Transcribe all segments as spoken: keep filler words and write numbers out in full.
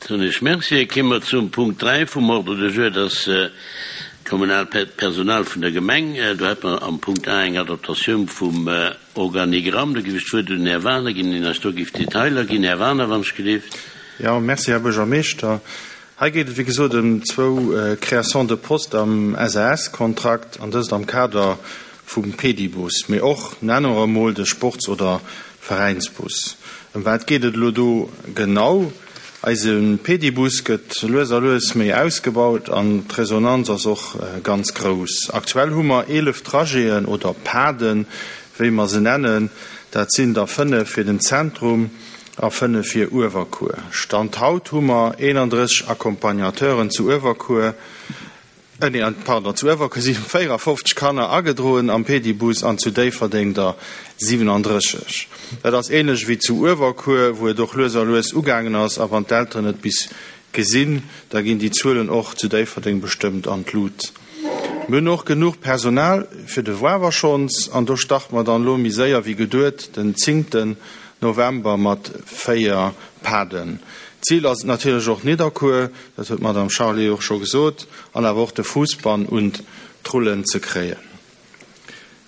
Soen ech Merci. Kéime mer zum Punkt dräi vum Ordre du jour, dat ass d'kommunalt Personal vun der Gemeng. Do hätte mer am Punkt A eng Adaptatioun vum Organigramm. Do géif ech d'Wuert un den Här Wagener ginn, deen eis do géif d'Detailer ginn. Här Wagener, wann ech gelift. Jo, merci, Här Buergermeeschter. Hei geet et, wéi gesot, ëm zwou Créations de poste am S A S-Kontrakt, an dëst am Kader vum Pedibus, mee och, nenne mer emol, de Sports oder Veräinsbus. Ëm wat geet et elo do genau? Eise Pedibus gëtt lues a lues méi ausgebaut an d'Resonanz ass och ganz grouss. Aktuell hu mer eelef Trajeten oder Paden, wéi mer se nennen. Dat sinn der fënnef fir den Zentrum a fënnef fir Uewerkuer. Stand haut hu mer eenandrësseg Accompagnateuren zu Uewerkuer, nee, pardon, zu Uewerkuer si véierafofzeg Kanner agedroen am Pedibus an zu Déifferdeng der siwenandrësseg. Dat ass änlech wéi zu Uewerkuer, wou et och lues a lues ugaangen ass, a wann d'Elteren et bis gesinn, da ginn déi Zuelen och zu Déifferdeng bestëmmt an d'Lut. Mir hunn och genuch Personal fir de Wawer schonns, an do starte mer dann elo méi séier wéi geduet, den zéngten November mat véier Paden. Zil ass et natierlech och Nidderkuer, dat huet d'Madame Charlé och scho gesot, an awer och de Fousbann un d'Rullen ze kréien.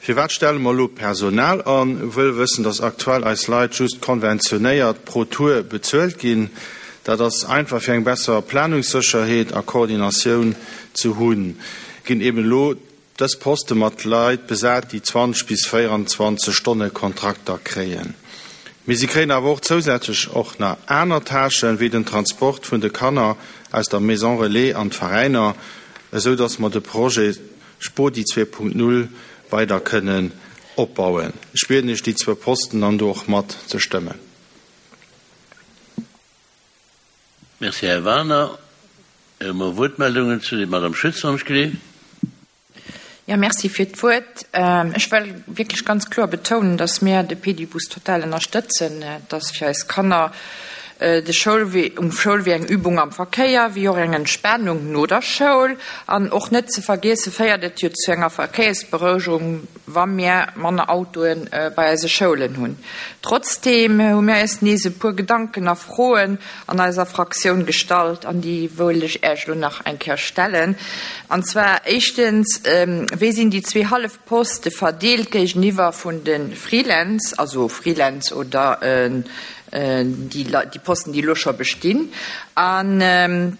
Firwat stelle mer elo Personal an? Wëll wëssen, dass aktuell eis Leit just konventionéiert pro Tour bezuelt ginn. Dat ass einfach fir eng besser Planungssécherheet a Koordinatioun ze hunn. Ginn eben elo dës Poste mat Leit besat, déi zwanzeg bis véierundzwanzeg Stonne Kontrakter kréien. Mee si kréien awer och zousätzlech och nach aner Tâchen, wéi den Transport vun de Kanner aus der Maison Relais an d'Veräiner, esou dass mer de Projet Spodi zwee Punkt null weider kënnen opbauen. Ech bieden Iech, déi zwou Posten dann do och mat ze stëmmen. Merci, Här Wagener. Hu mer Wuertmeldungen zu der Madame Schütz, wann ech gelift? Ja, merci fir d'Wuert. Ech wëll wierklech ganz kloer betounen, dass mir de Pedibus total ënnerstëtzen. Et ass fir eis Kanner de Schoulwee, um Schoulwee eng Übung am Verkéier, wéi och eng Entspanung no der Schoul. An och net ze vergiesse féiert et jo zu enger Verkéiersberouegung, wa mir manner Autoe bei eise Schoulen hunn. Trotzdeem hu mir eis nees e puer Gedanken a Froen an eiser Fraktioun gestallt, an déi wëll ech Iech elo nach eng Kéier stellen. An zwar éischtens, wéi sinn déi zwee hallef Poste verdeelt géigeniwwer vun de Freelance, also Freelance oder déi Posten, déi elo scho bestinn? An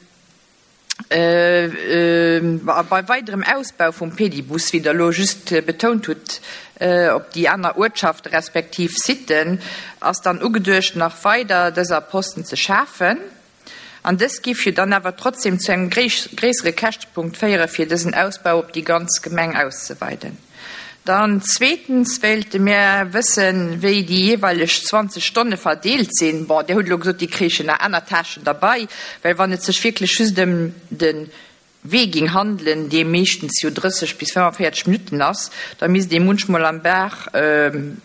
bei weiderem Ausbau vum Pedibus, wéi Der elo just betount hutt, op déi aner Uertschafte respektiv Sitten, ass dann ugeduecht, nach weider dëser Posten ze schafen? An dës giff jo dann awer trotzdem zu engem gréissere Käschtepunkt féiere fir dësen Ausbau op déi ganz Gemeng auszeweiden. Dann zweetens wéilte mir wëssen, wéi déi jeeweileg zwanzeg Stonne verdeelt sinn. Bon, Dir hutt elo gesot, déi kréichen nach aner Tâchen derbei, well wann et sech wierklech just ëm de Wee ging handelen, dee meeschtens jo drësseg bis fënnefenvéierzeg Minutten ass, da misst ee munchmol am Dag,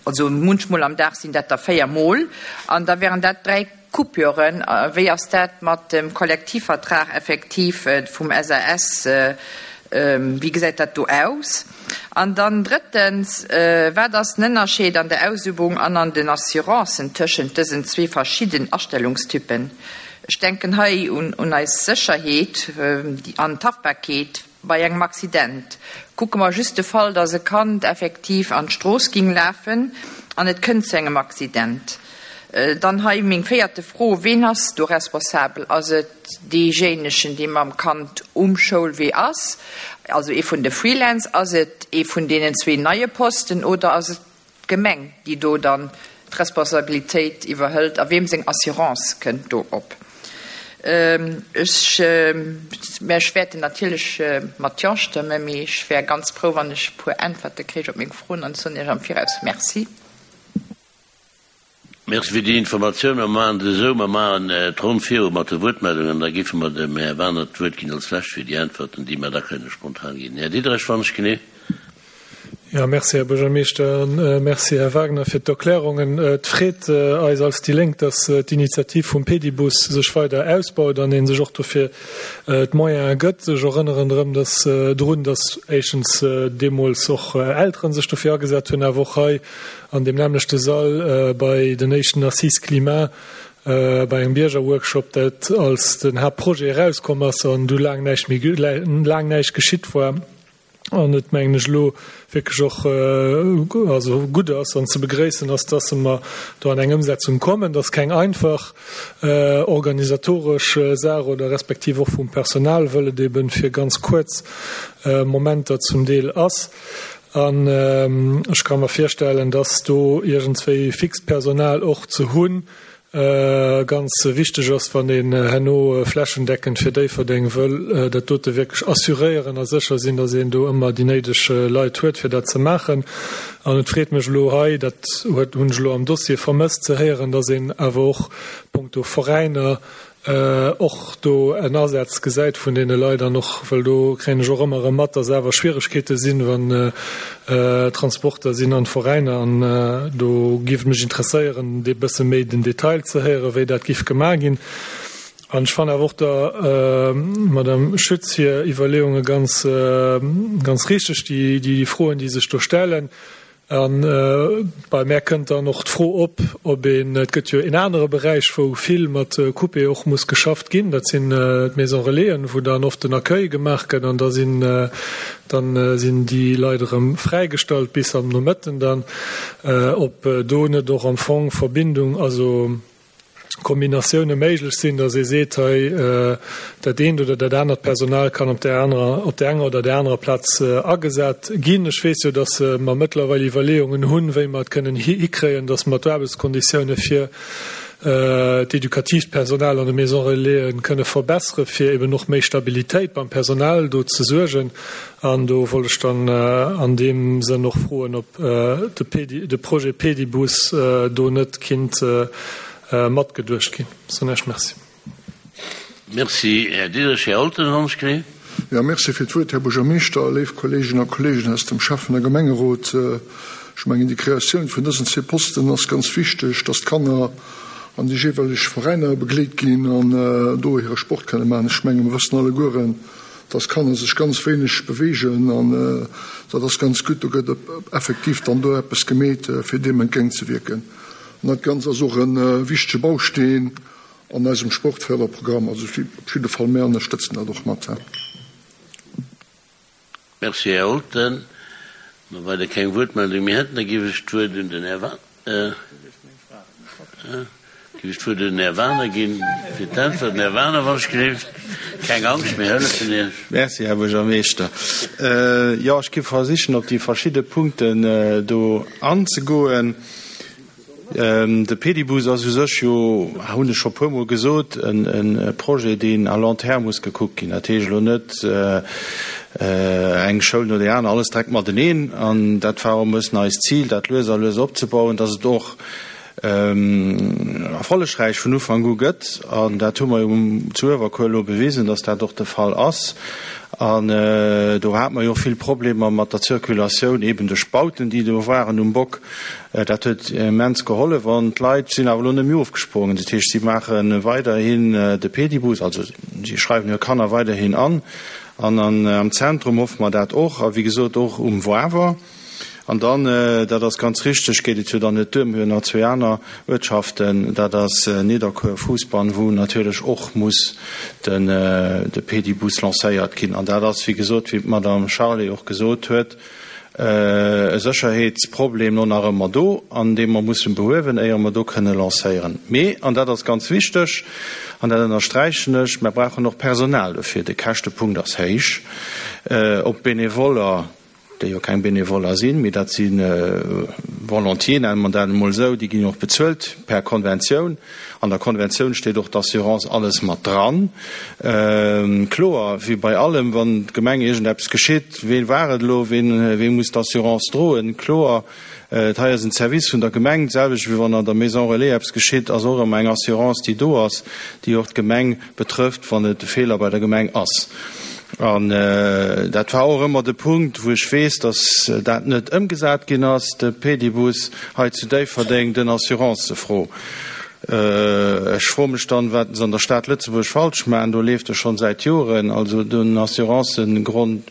also munchmol am Dag sinn dat der véier Mol, an da wären dat dräi Coupüren. Wéi ass dat mat dem Kollektivvertrag effektiv vum S A S? Wéi gesäit dat do aus? An dann drëttens, wat ass den Ënnerscheed an der Ausübung an an den Assurancen tëschent dësen zwee verschidden Astellungstypen? Ech denken hei un un eis Sécherheet an d'Haftbarkeet bei engem Accident. Kucke mer just de Fall, dass e Kand effektiv an d'Strooss ging lafen an et kënnt zu engem Accident. Dann hei meng véierte Fro, Ween ass do responsabel? Ass et deejéinegen, dee mam Kand um Schoulwee ass, also ee vun de Freelance? Ass et ee vun deenen zwee neie Posten oder ass et d'Gemeng, déi do dann d'Responsabilitéit iwwerhëlt? A weem seng Assurance kënnt do op? Ech, mä ech wäerten natierlech mat Jo stëmmen, mee ech wär ganz frou, wann ech e puer Äntwerte kréich op meng Froen an soen Iech am Viraus Merci. Merci fir déi Informatioun. Mer maachen et esou, mer maachen d'Ronn viru mat de Wuertmeldungen an da géife mer dem Här Wagener d'Wuert ginn als Lescht fir déi Äntwerten, déi mer da kënne spontan ginn. Här Diderich, wann ech genee. Jo, merci, Här Buergermeeschter, a merci, Här Wagner, fir d'Erklärungen. Et freet eis als déi Lénk, dass d'Initiativ vum Pedibus sech weider ausbaut an ee sech och dofir d'Moyene gëtt. Ech erënneren erëm dass drun, dass éischtens deemools och Eltere sech dofir agesat hunn, awer och hei an deem nämmlechte Sall bei den éischten Assises Climat bei engem Biergerworkshop, dat als den Haaptprojet erauskomm ass an du laang näischt méi laang näischt geschitt war an et mengen ech elo wierklech och also gutt ass an ze begréissen ass, dass mer do an eng Ëmsetzung kommen. Dat ass keng einfach organisatoresch Saach oder respektiv och vum Personal, wëll et eben fir ganz kuerz Momenter zum Deel ass. An ech ka mer virstellen, dass do iergendswéi fixt Personal och ze hunn ganz wichteg ass, wann een herno flächendeckend fir Déifferdeng wëll dat dote wierklech assuréieren a sécher sinn, dass een do ëmmer déi néideg Leit huet, fir dat ze maachen. An et freet mech elo hei, dat huet, hunn ech elo am Dossier vermësst ze héieren, dass een awer och punkto Veräiner och do en Asaz gesäit vun deene Leit an och, well do kréien ech och ëmmer erëm mat, dass awer Schwieregkeete sinn, wann Transporter sinn an d'Veräiner. An do géif et mech interesséieren, dee bësse méi den Detail ze héieren, wéi dat géif gemaach ginn. An ech fannen awer och der Madame Schütz hir Iwwerleeunge ganz, ganz richteg, déi, déi Froen, déi sech do stellen. A bei mär kënnt dann och d'Fro op, ob een, et gëtt jo en anere Beräich, wou vill mat Coupé och muss geschafft ginn, dat sinn d'Maisons Relaisen, wou dann oft den Accueil gemaach gëtt an da sinn, dann sinn déi Leit erëm fräigestallt bis am Nomëtten dann, ob do net och am Fong Verbindung, also Kombinatioune méiglech sinn, datt ee seet, hei dat eent oder dat anert Personal kann op där anerer, op där enger oder där anerer Plaz agesat ginn. Ech weess jo, datt mer mëttlerweil Iwwerleeungen hunn, wéi mer et kënnen hikréien, datt mer d'Aarbechtskonditioune fir d'edukatiivt Personal an de Maisons Relaisen kënne verbessere fir eben och méi Stabilitéit beim Personal do ze suergen. An do wollt ech dann an deem Sënn och froen, ob de Projet Pedibus do net kinnt matgeduecht ginn. Soen Iech Merci. Merci, Här Diderich. Här Olten, Honschkri. Jo, merci fir d'Wuert, Här Buergermeeschter, léif Kolleeginnen a Kolleegen aus dem Schäffen a Gemengerot. Ech mengen, déi Kreatioun vun dësen zwee Posten ass ganz wichteg, dass d'Kanner an déi jeeweileg Veräiner begleet ginn an do hire Sport kënne maachen. Ech mengen, mir wëssen allegueren, dass Kanner sech ganz wéineg beweegen an dat ass ganz gutt. Do gëtt effektiv dann do eppes gemeet, fir deem entgéintzewierken. An dat Ganzt ass och e wichtege Bausteen an eisem Sportförderprogramm. Also op jidde Fall, mir ënnerstëtzen dat och mat. Merci, Här Olten. Ma well Der keng Wuertmeldung méi hätten, da géif ech d'Wuert un den Här géif ech d'Wuert un den Här Wagener ginn fir d'Äntwerten. Här Wagener, wann ech gleeft. Keng Angscht, mir hëllefen Iech. Merci, Här Buergermeeschter. Jo, ech géif versichen, op déi verschidde Punkten do anzegoen. De Pedibus ass u sech jo, hunn ech scho puermol gesot, e Projet, deen à long terme muss gekuckt ginn. Dat heescht elo net eng Schoul no där aner, alles direkt mateneen. An dat war och e bëssen eist Zil, dat lues a lues opzebauen, dass et och erfollegräich vun Ufank u gëtt. An dat hu mer jo zu Uewerkuer elo bewisen, dass dat och de Fall ass. An do hate mer jo och vill Problemer mat der Zirkulatioun, eben duerch d'Bauten, déi do waren um Bock. Dat huet immens gehollef. An d'Leit sinn awer elo net méi ofgesprongen. Dat heescht, si maache weiderhin de Pedibus, also si schreiwen hir Kanner weiderhin an. An am Zentrum hoffe mer dat och. A wéi gesot och um Wawer. An dann, dat ass ganz richtig, geet et jo dann net duer, mir hunn nach zwee aner Uertschaften, dat ass Nidderkuer, Fousbann, wou natierlech och muss de Pedibus lancéiert ginn. An dat ass, wéi gesot, wéi d'Madame Charlé och gesot huet, e Sécherheetsproblem lo nach ëmmer do, an dee mer mussen behuewen, éier mer do kënne lancéieren. Mee, an dat ass ganz wichteg, an dat ënnersträichen ech, mer brauchen och Personal dofir. De Käschtepunkt ass héich. Ob Benevoller, déi jo keng Benevoller sinn, mee dat si Volontiers, nenne mer dat emol esou, déi ginn jo och bezuelt per Konventioun. An der Konventioun steet och d'Assurance, alles mat dran. Kloer, wéi bei allem, wann d'Gemeng iergendeppes geschitt, ween war et elo, ween, wee muss d'Assurance droen? Kloer, et hei ass en Service vun der Gemeng, d'selwecht wéi wann an der Maison Relais eppes geschitt, ass och ëmmer eng Assurance, déi do ass, déi och d'Gemeng betrëfft, wann et e Feeler bei der Gemeng ass. An dat war och ëmmer de Punkt, wou ech weess, datt dat net ëmgesat ginn ass, de Pedibus hei zu Déifferdeng, den Assurancefro. Ech froe mech dann, wat se an der Stad Lëtzebuerg falsch maachen. Do leeft e schonn säit Joren. Also den Assurancëgrond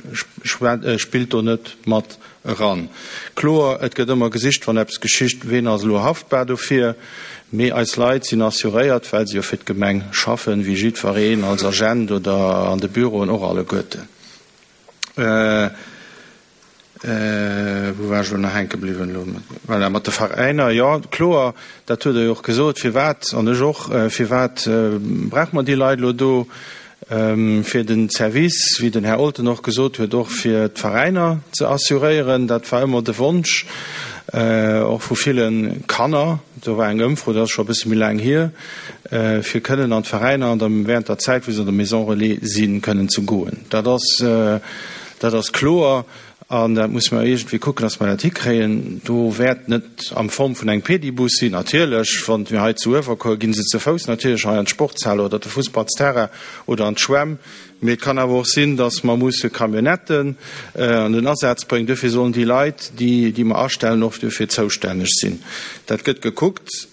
spillt do net mat eran. Kloer, et gëtt ëmmer gesicht, wann eppes geschicht, ween ass elo haftbar dofir. Mee eis Leit sinn assuréiert, well se jo fir d'Gemeng schaffen, wéi jiddwereen als Agent oder an de Büroen och alleguerten. Wou war ech elo nach hänke bliwwen elo? Voilà, mat de Veräiner, jo, kloer, dat hutt Der jo och gesot, firwat, an ech och, firwat brauche mer déi Leit elo do? Fir den Service, wéi den Här Olten och gesot huet, och fir d'Veräiner ze assuréieren. Dat war ëmmer de Wonsch, och vu ville Kanner. Do war eng Ëmfro, dat ass scho e bësse méi laang hier, fir kënnen an d'Veräiner an der, während der Zäit, wou se an der Maison Relais sinn, kënnen ze goen. Dat ass, dat ass kloer. An dat musse mer iergendwéi kucken, dass mer dat hikréien. Do wäert net am Form vun engem Pedibus sinn, natierlech. Wann mir hei zu Uewerkuer ginn se ze Fouss natierlech hei an d'Sportshal oder de Fussballsterrain oder an d'Schwämm. Mee et kann awer och sinn, dass mer musse Camionnetten an den Asaz bréngen. Duerfir sollen déi Leit, déi, déi mer astellen, och duerfir zoustänneg sinn. Dat gëtt gekuckt.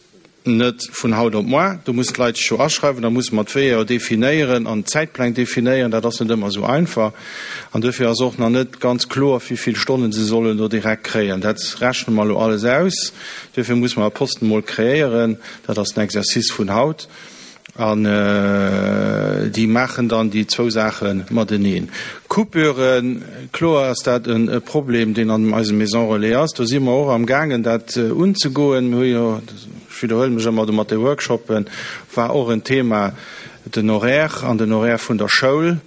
Net vun haut op moar, do mussen d'Leit sech jo aschreiwen, da musse mer d'Weeër jo definéieren an d'Zäitpläng definéieren, dat ass net ëmmer esou einfach. An duerfir ass och nach net ganz kloer, wéi vill Stonnen se sollen do direkt kréien. Dat rechne mer elo alles aus. Duerfir musse mer e Posten emol kreéieren, dat ass den Exercice vun haut. An déi maachen dann déi zwou Saache mateneen. Coupüren, kloer ass dat e Problem, deen an eisem Maison Relais ass. Do si mer och amgaangen, dat unzegoen. Mir hu jo, ech widderhuele mech ëmmer do mat de Workshoppen, war och en Thema den Horaire an den Horaire vun der Schoul.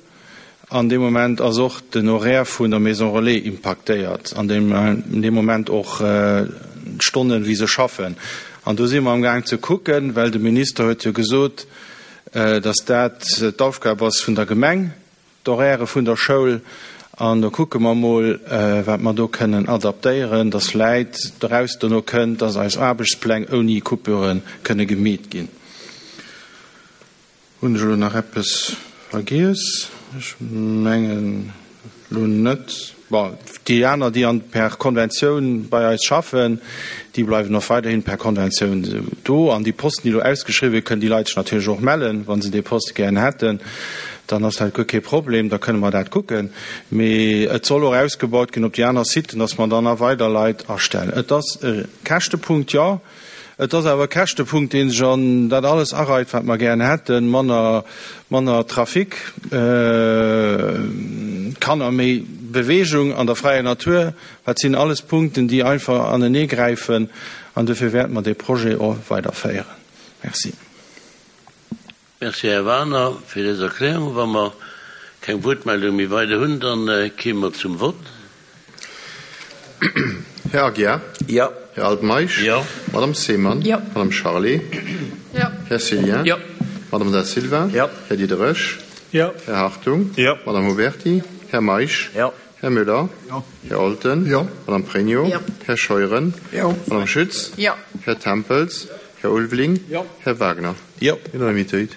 An deem Moment ass och den Horaire vun der Maison Relais impaktéiert, an deem Moment och d'Stonnen, wéi se schaffen. An do si mer amgaang ze kucken, well de Minister huet jo gesot, dass dat d'Aufgab ass vun der Gemeng, d'Horairë vun der Schoul. An do kucke mer emol, wat mer do kënnen adaptéieren, dass vläit doraus dono kënnt, dass eis Aarbechtspläng ouni Coupurë kënne gemeet ginn. Hunn ech elo nach eppes vergiess? Ech mengen elo net. Bon, déi aner, déi an per Konventioun bei eis schaffen, déi bleiwen och weiderhin per Konventioun do. An déi Posten, déi elo ausgeschriwwen, kënnen déi Leit sech natierlech och mellen, wa se dee Poste gären hätten. Dann ass dat guer kee Problem, da kënne mer dat kucken. Mee et soll och ausgebaut ginn op déi aner Siten, dass mer dann nach weider Leit astellen. Et ass e Käschtepunkt, jo. Et ass awer e Käschtepunkt, dee sech an dat alles areit, wat mer gären hätten, manner, manner Trafic, Kanner, méi Bewegung an der fräier Natur. Dat sinn alles Punkten, déi einfach aneneegräifen, an dofir wäerte mer dee Projet och weiderféieren. Merci. Merci, Här Wagener, fir dës Erklärung. Wa mer keng Wuertmeldung méi weider hunn, da kéime mer zum Vott. Här Aguiar? Jo. Här Altmeisch? Jo. Madame Seemann? Jo. Madame Charlé? Jo. Här Cillien? Jo. Madame Da Silva? Jo. Här Diderich? Jo. Här Hartung? Jo. Madame Huberty? Här Meisch? Jo. Här Müller? Jo. Här Olten? Jo. Madame Pregno? Jo. Här Scheuren? Jo. Madame Schütz? Jo. Här Tempels? Här Ulveling? Jo. Här Wagner? Jo. Unanimitéit.